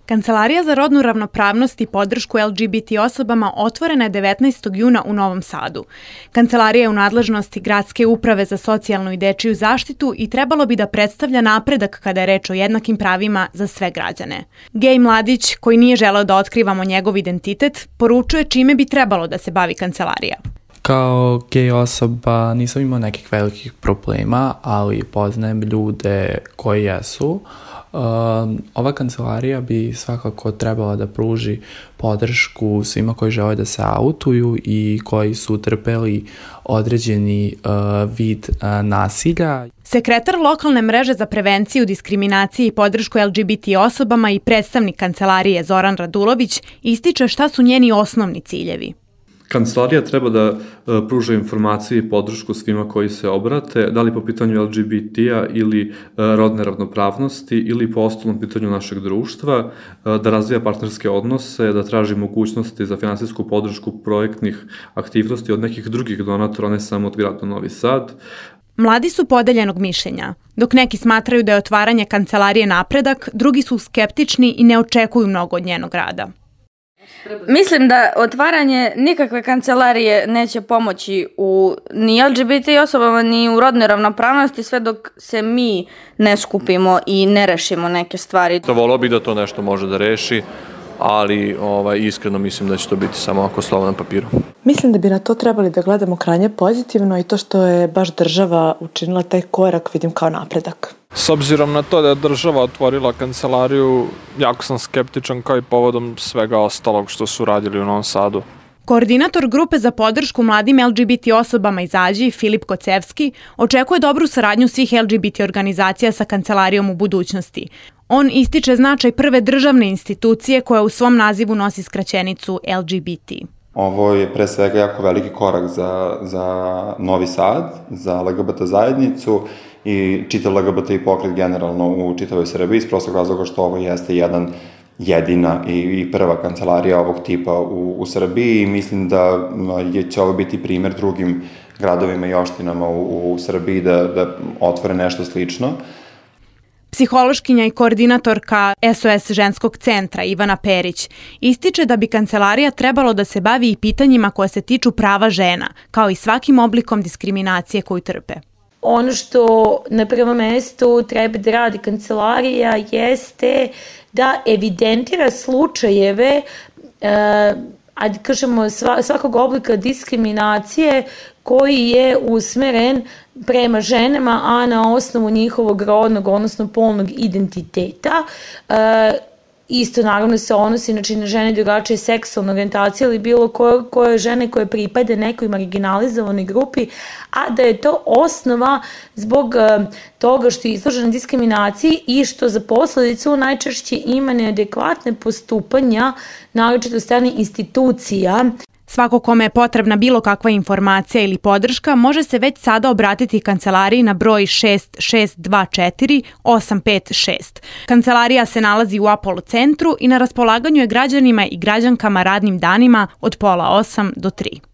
Kancelarija za rodnu ravnopravnost i podršku LGBT osobama otvorena je 19. juna u Novom Sadu. Kancelarija je u nadležnosti Gradske uprave za socijalnu i dečiju zaštitu i trebalo bi da predstavlja napredak kada je reč o jednakim pravima za sve građane. Gej mladić, koji nije želeo da otkrivamo njegov identitet, poručuje čime bi trebalo da se bavi kancelarija. Kao gej osoba nisam imao nekih velikih problema, ali poznajem ljude koji jesu. Ova kancelarija bi svakako trebala da pruži podršku svima koji žele da se autuju i koji su trpeli određeni vid nasilja. Sekretar lokalne mreže za prevenciju diskriminacije i podršku LGBT osobama i predstavnik kancelarije Zoran Radulović ističe šta su njeni osnovni ciljevi. Kancelarija treba da pruža informacije i podršku svima koji se obrate, da li po pitanju LGBT-a ili rodne ravnopravnosti ili po osnovnom pitanju našeg društva, da razvija partnerske odnose, da traži mogućnosti za finansijsku podršku projektnih aktivnosti od nekih drugih donatora, ne samo od grada Novi Sad. Mladi su podeljenog mišljenja. Dok neki smatraju da je otvaranje kancelarije napredak, drugi su skeptični i ne očekuju mnogo od njenog rada. Mislim da otvaranje nikakve kancelarije neće pomoći ni LGBT osobama, ni u rodnoj ravnopravnosti sve dok se mi ne skupimo i ne rešimo neke stvari. Voleo bih da to nešto može da reši, ali iskreno mislim da će to biti samo ako slovo na papiru. Mislim da bi na to trebali da gledamo krajnje pozitivno i to što je baš država učinila taj korak vidim kao napredak. S obzirom na to da je država otvorila kancelariju, jako sam skeptičan kao i povodom svega ostalog što su radili u Novom Sadu. Koordinator grupe za podršku mladim LGBT osobama iz Ađi, Filip Kocevski, očekuje dobru saradnju svih LGBT organizacija sa kancelarijom u budućnosti. On ističe značaj prve državne institucije koja u svom nazivu nosi skraćenicu LGBT. Ovo je pre svega jako veliki korak za Novi Sad, za LGBT zajednicu i čitav LGBT i pokret generalno u čitavoj Srbiji, iz prostog razloga što ovo jeste jedina i prva kancelarija ovog tipa u Srbiji i mislim da će ovo biti primer drugim gradovima i opštinama u Srbiji da otvore nešto slično. Psihološkinja i koordinatorka SOS ženskog centra Ivana Perić ističe da bi kancelarija trebalo da se bavi i pitanjima koja se tiču prava žena, kao i svakim oblikom diskriminacije koju trpe. Ono što na prvom mestu treba da radi kancelarija jeste da evidentira slučajeve svakog oblika diskriminacije koji je usmeren prema ženama, a na osnovu njihovog rodnog, odnosno polnog identiteta. Isto naravno se odnosi na žene drugačije seksualne orijentacije ili bilo koje žene koje pripade nekoj marginalizovanoj grupi, a da je to osnova zbog toga što je izložena diskriminaciji i što za posledicu najčešće ima neadekvatne postupanja, naročito od strane institucija. Svako kome je potrebna bilo kakva informacija ili podrška može se već sada obratiti kancelariji na broj 6624 856. Kancelarija se nalazi u Apollo centru i na raspolaganju je građanima i građankama radnim danima od 7:30 do 3:00.